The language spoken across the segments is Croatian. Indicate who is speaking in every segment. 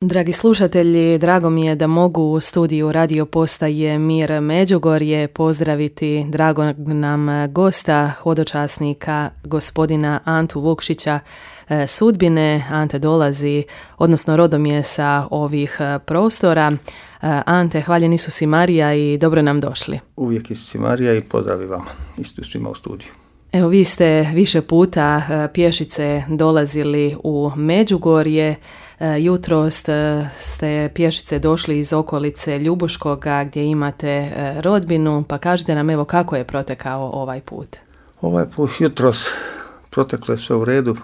Speaker 1: Dragi slušatelji, drago mi je da mogu u studiju radio postaje Mir Međugorje pozdraviti dragog nam gosta, hodočasnika, gospodina Antu Vukšića Sudbine. Ante dolazi, odnosno rodom je sa ovih prostora. Ante, hvaljen Isus i Marija i dobro nam došli.
Speaker 2: Uvijek Isus i Marija i pozdravi vama, isto svima u studiju.
Speaker 1: Evo, vi ste više puta pješice dolazili u Međugorje. Jutros ste pješice došli iz okolice Ljubuškoga gdje imate rodbinu, pa kažite nam evo kako je protekao ovaj put.
Speaker 2: Ovaj put jutros proteklo je sve u redu,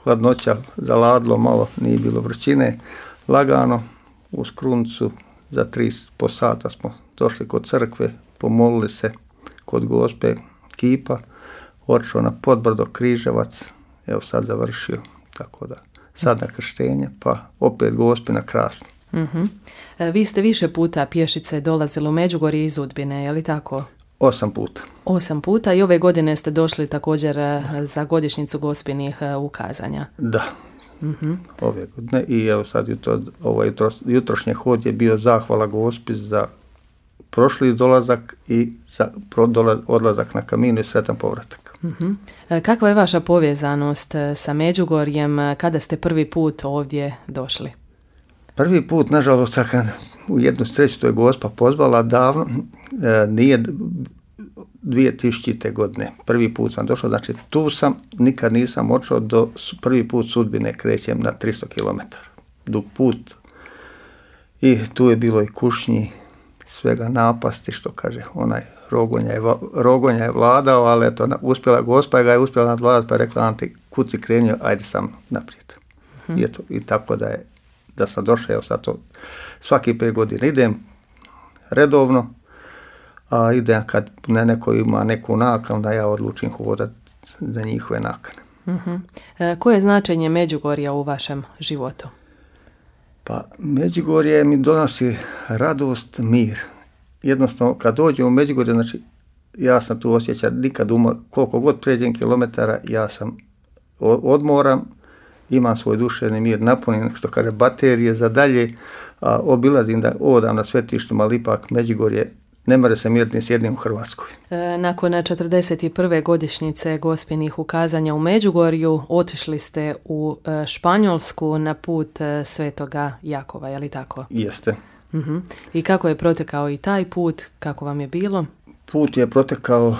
Speaker 2: hladnoća zaladilo malo, nije bilo vrućine, lagano uz Krunicu za 3,5 sata smo došli kod crkve, pomolili se kod Gospe kipa, otišao na Podbrdo Križevac, evo sad završio, tako da sad na krštenje, pa opet Gospina krasno.
Speaker 1: Uh-huh. Vi ste više puta pješice dolazili u Međugorje iz Udbine, je li tako?
Speaker 2: 8 puta.
Speaker 1: 8 puta i ove godine ste došli također za godišnjicu Gospinih ukazanja.
Speaker 2: Da,
Speaker 1: uh-huh.
Speaker 2: Ove godine i evo sad jutrošnji hod je bio zahvala Gospi za prošli dolazak i za odlazak na Kaminu i sretan povratak.
Speaker 1: Uh-huh. Kakva je vaša povezanost sa Međugorjem, kada ste prvi put ovdje došli?
Speaker 2: Prvi put, nažalost, u jednu sreću to je Gospa pozvala davno, nije 2000. godine. Prvi put sam došao, znači tu sam, nikad nisam otišao do prvi put Sudbine, krećem na 300 km. Dug put i tu je bilo i kušnji, svega napasti, što kaže onaj Rogonja je vladao, ali eto, uspjela Gospa ga je uspjela nadvladati, pa je rekla Anti, kud si krenio, ajde sam naprijed. Uh-huh. I tako da sam došao, evo sad to svaki 5 godina idem redovno, a idem kad neko ima neku nakanu, da ja odlučim hodati za njihove nakane.
Speaker 1: Uh-huh. Koje je značenje Međugorja u vašem životu?
Speaker 2: Pa Međugorje mi donosi radost, mir. Jednostavno, kad dođem u Međugorje, znači ja sam tu osjećan nikad umor, koliko god pređem kilometara, ja sam odmoram, imam svoj duševni mir, napunim što kaže baterije za dalje, a obilazim da odam na svetištima, ali ipak Međugorje ne more se miriti ni s jednim u Hrvatskoj.
Speaker 1: Nakon 41. godišnjice Gospinih ukazanja u Međugorju otišli ste u Španjolsku na put Svetoga Jakova, je li tako?
Speaker 2: Jeste.
Speaker 1: Uh-huh. I kako je protekao i taj put, kako vam je bilo?
Speaker 2: Put je protekao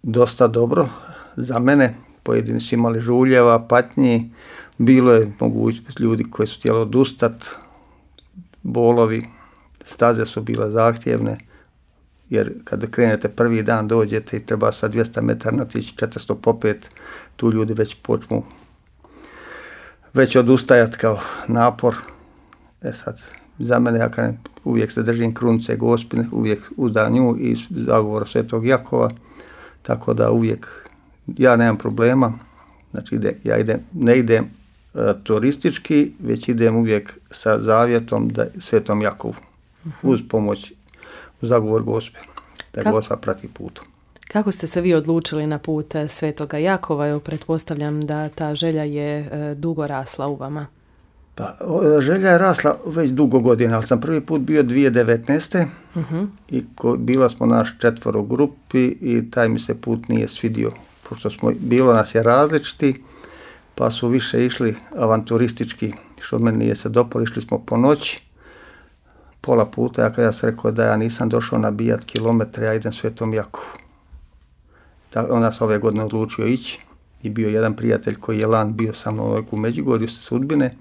Speaker 2: dosta dobro za mene. Pojedini su imali žuljeva, patnji, bilo je mogućnost ljudi koji su htjeli odustati, bolovi, staze su bile zahtjevne, jer kada krenete prvi dan dođete i treba sa 200 metara natići 405, tu ljudi već počnu odustajati kao napor. Sad, za mene, ja uvijek se držim Krunice Gospine, uvijek uza nju i zagovora Svetog Jakova, tako da uvijek ja nemam problema, znači ne idem turistički, već idem uvijek sa zavjetom da Svetom Jakovu, uz pomoć, uz zagovor Gospe, da Gospa prati putom.
Speaker 1: Kako ste se vi odlučili na put Svetoga Jakova? Evo, pretpostavljam da ta želja je dugo rasla u vama.
Speaker 2: Pa, želja je rasla već dugo godina, ali sam prvi put bio 2019.
Speaker 1: Uh-huh.
Speaker 2: I bila smo naš 4 u grupi i taj mi se put nije svidio, pošto bilo nas je različiti, pa su više išli avanturistički, što meni nije se dopalo, išli smo po noći, pola puta, ja sam rekao da ja nisam došao nabijat kilometre, ja idem Svetom Jakovu. Onda sam ove godine odlučio ići i bio jedan prijatelj koji je lan bio sa mnom u Međugorju sa Sudbine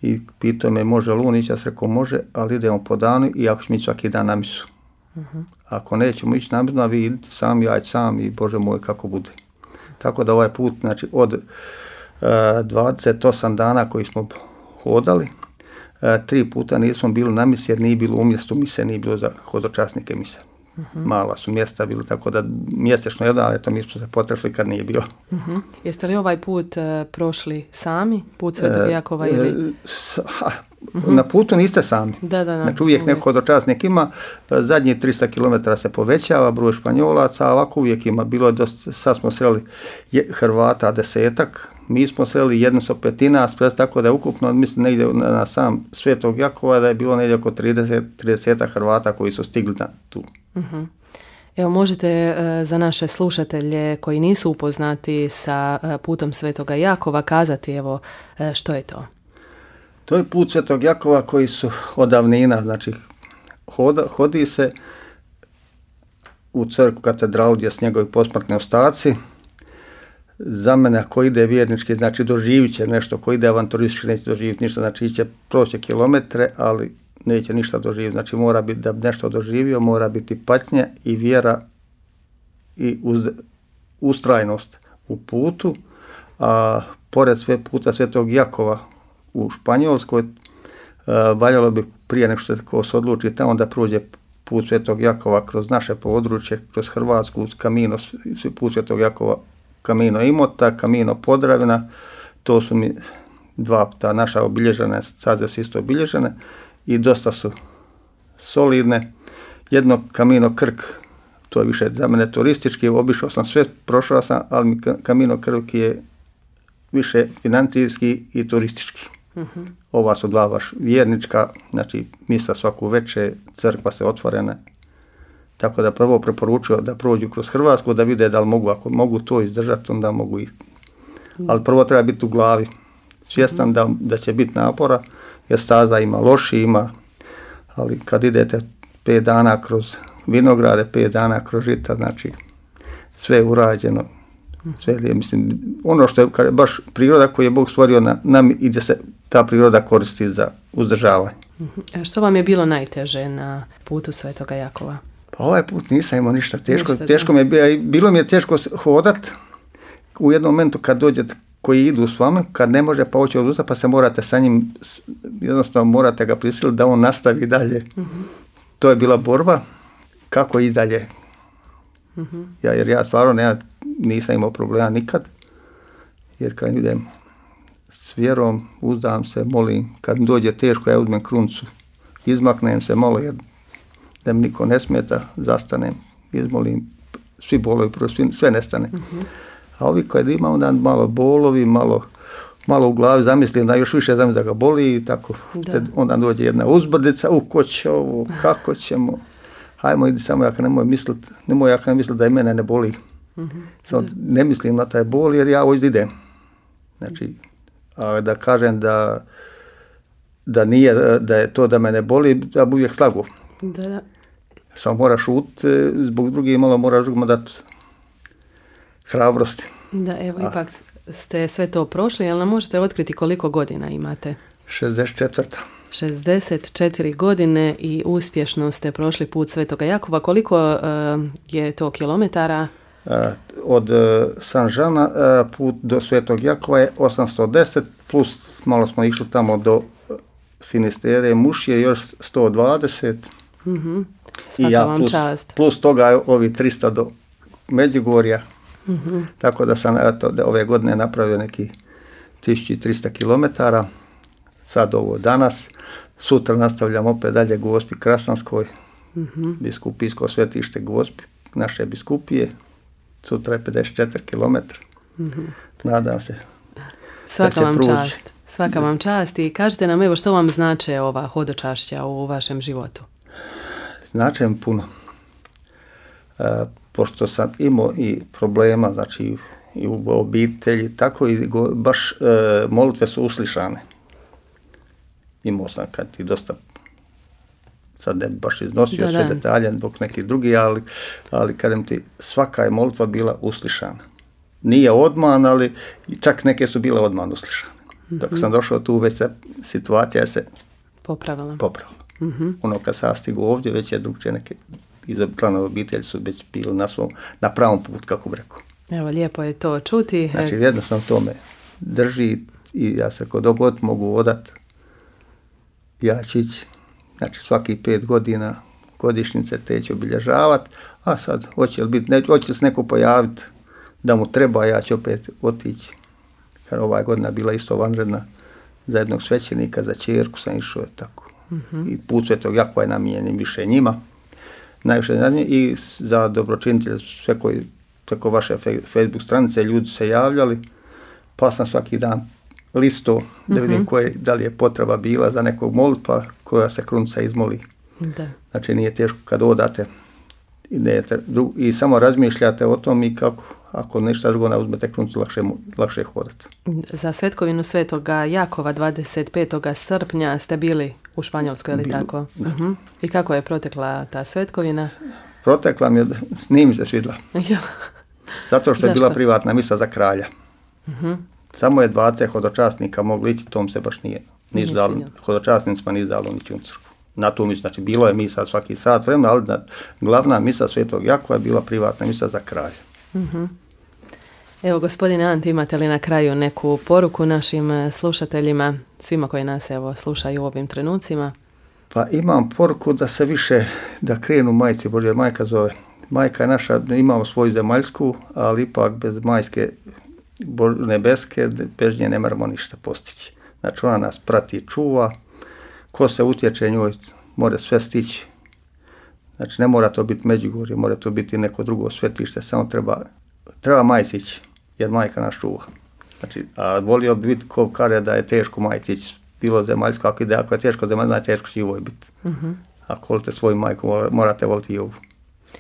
Speaker 2: i pitao me može li on ići, ja sam rekao može, ali idemo po danu i ako ćemo ići svaki dan na misu.
Speaker 1: Uh-huh.
Speaker 2: Ako nećemo ići na misu, a vi idite sami, ja sam i Bože moj kako bude. Tako da ovaj put, znači od 28 dana koji smo hodali, 3 puta nismo bili na misi jer nije bilo u mjestu mise, nije bilo za hodočasnike mise. Uh-huh. Mala su mjesta bili, tako da mjesečno jedan, ali to mi smo se potrešli kad nije bilo.
Speaker 1: Uh-huh. Jeste li ovaj put prošli sami, put Svetog Jakova ili?
Speaker 2: Uh-huh. Na putu niste sami.
Speaker 1: Da.
Speaker 2: Znači uvijek neko hodočasnik ima, zadnjih 300 km se povećava broj Španjolaca, a ovako uvijek ima, bilo je dosta, sad smo sreli Hrvata 10-ak, mi smo sreli 150, tako da je ukupno, mislim, negdje na sam Svetog Jakova da je bilo negdje oko 30 Hrvata koji su stigli na tu.
Speaker 1: Uh-huh. Evo, možete za naše slušatelje koji nisu upoznati sa putom Svetoga Jakova kazati, evo, što je to?
Speaker 2: To je put Svetog Jakova koji su od davnina, znači hodi se u crkvu katedralu gdje su njegovi posmrtni ostaci. Za mene ako ide vjernički, znači doživit će nešto, ko ide avanturistički neće doživjeti ništa, znači će proći kilometre, ali neće ništa doživjeti. Znači mora biti, da bi nešto doživio, mora biti patnja i vjera i ustrajnost u putu. A pored puta Svetog Jakova u Španjolskoj, valjalo bi prije nego što se odluči tamo da prođe put Svetog Jakova kroz naše područje, kroz Hrvatsku, put Svetog Jakova, Camino Imota, Camino Podravina, to su mi dva ta naša obilježene, staze su isto obilježene i dosta su solidne. Jedno Camino Krk, to je više za mene turistički, obišao sam sve, prošao sam, ali mi Camino Krk je više financijski i turistički. Uh-huh. Ova su dva baš vjernička, znači misa svaku večer, crkva se otvorena. Tako da prvo preporučuju da prođu kroz Hrvatsku, da vide da li mogu, ako mogu to izdržati, onda mogu i. Ali prvo treba biti u glavi, svjestan da će biti napora, jer staza ima loši, ali kad idete 5 dana kroz vinograde, 5 dana kroz žita, znači sve je urađeno, sve je, mislim, ono što je baš priroda koju je Bog stvorio nam i da se ta priroda koristi za uzdržavanje.
Speaker 1: Što vam je bilo najteže na putu Svetoga Jakova?
Speaker 2: Pa ovaj put nisam imao ništa teško mi je bilo mi je teško hodat u jednom momentu kad dođete koji idu s vama, kad ne može pa hoće odustati, pa se morate sa njim, jednostavno morate ga prisiliti da on nastavi dalje. Uh-huh. To je bila borba, kako i dalje. Uh-huh. Jer ja stvarno nisam imao problema nikad, jer kad idem s vjerom, uzdam se, molim, kad dođe teško, ja uzmem kruncu, izmaknem se malo, jer da mi niko ne smeta, zastanem, izmolim, svi bolovi, sve nestane. Uh-huh. A ovi koji ima onda malo bolovi, malo u glavi zamislim da još više zamislim da ga boli i tako. Onda dođe jedna uzbrdica, ko će ovo, kako ćemo, hajmo idi samo, ja nemoj misliti da i mene ne boli. Uh-huh. Samo ne mislim na taj bol jer ja ovdje idem. Znači, a da kažem da nije, da je to da me ne boli, da bi uvijek slagu. Da. Samo moraš šutiti, zbog drugih malo moraš drugima dati hrabrosti.
Speaker 1: Da, evo, ipak ste sve to prošli, ali nam možete otkriti koliko godina imate?
Speaker 2: 64.
Speaker 1: 64 godine i uspješno ste prošli put Svetoga Jakova. Koliko je to kilometara?
Speaker 2: Od Sanžana put do Svetog Jakova je 810, plus malo smo išli tamo do Finistere, Mušije, još 120.
Speaker 1: Uh-huh. Svaka vam čast.
Speaker 2: Plus toga ovi 300 do Međugorja. Uh-huh. Tako da sam ove godine napravio neki 1300 km. Sad ovo danas. Sutra nastavljam opet dalje Gospi Krasanskoj. Uh-huh. Biskupijsko svetište Gospi, naše biskupije. Sutra je 54 km. Uh-huh. Nadam se.
Speaker 1: Svaka vam čast. Svaka vam čast i kažite nam evo što vam znače ova hodočašća u vašem životu.
Speaker 2: Znače mi puno. Pošto sam imao i problema, znači i u obitelji, tako i baš molitve su uslišane. Imao sam kad ti dosta, sad ne bi baš iznosio sve detalje, zbog neki drugi, ali kad ti svaka je molitva bila uslišana. Nije odman, ali čak neke su bile odman uslišane. Dok sam došao tu, već se situacija se popravila. Uh-huh. Ono kad sam stigu ovdje, već je drugčije neke iz članova obitelji su već bili na pravom putu, kako bi rekao.
Speaker 1: Evo, lijepo je to čuti.
Speaker 2: Znači, jednostavno to me drži i ja se kod god mogu odat, ja ću ići, znači svaki 5 godina godišnjice te ću obilježavati, a sad hoće li se neko pojaviti da mu treba, ja ću opet otići. Jer ova godina bila isto vanredna za jednog svećenika, za ćerku sam išao tako. Uh-huh. I put Svetog Jakova je namijenjen više njima, najviše za njih i za dobročinitelje, sve koji preko vaše Facebook stranice ljudi se javljali, pa sam svaki dan listo da vidim da li je potreba bila za nekog molitva koja se krunca izmoli.
Speaker 1: Da.
Speaker 2: Znači nije teško kad odate i samo razmišljate o tom i kako ako ništa drugo ne uzmete kruncu lakše hodati.
Speaker 1: Za svetkovinu Svetoga Jakova 25. srpnja ste bili u Španjolskoj, ili tako? I kako je protekla ta svetkovina?
Speaker 2: Protekla mi je, nije mi se svidla. Zato što je bila privatna misa za kralja. Samo je 20 hodočasnika mogli ići, tom se baš nije dalo, hodočasnicima nije dalo nići u crkvu. Na tu misu, znači bilo je misa svaki sat vremena, ali glavna misa Svetog Jakova je bila privatna misa za kralja.
Speaker 1: Evo, gospodine Ante, imate li na kraju neku poruku našim slušateljima, svima koji nas slušaju u ovim trenucima?
Speaker 2: Pa imam poruku da se više, da krenu Majci Božje, majka zove. Majka je naša, imamo svoju zemaljsku, ali ipak bez majske nebeske, bez nje ne moramo ništa postići. Znači ona nas prati i čuva, ko se utječe njoj, mora sve stići. Znači ne mora to biti Međugorje, mora to biti neko drugo svetište, samo treba majci ići, jer majka nas čuva. Znači, a volio bi biti ko kaže da je teško majci ići, bilo zemaljsko, ako je teško zemaljsko, teško će i ovoj biti. Ako volite svoju majku, morate voliti i ovu,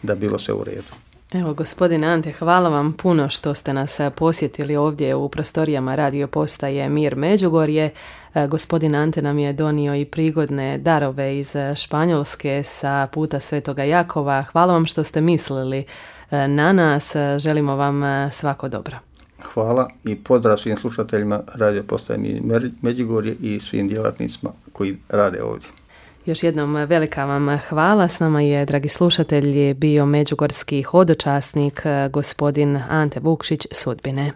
Speaker 2: da bilo sve u redu.
Speaker 1: Evo, gospodine Ante, hvala vam puno što ste nas posjetili ovdje u prostorijama radio postaje Mir Međugorje. Gospodin Ante nam je donio i prigodne darove iz Španjolske sa puta Svetoga Jakova. Hvala vam što ste mislili na nas. Želimo vam svako dobro.
Speaker 2: Hvala i pozdrav svim slušateljima radio postaje Mir Međugorje i svim djelatnicima koji rade ovdje.
Speaker 1: Još jednom velika vam hvala. S nama je, dragi slušatelji, bio međugorski hodočasnik gospodin Ante Vukšić Sudbine.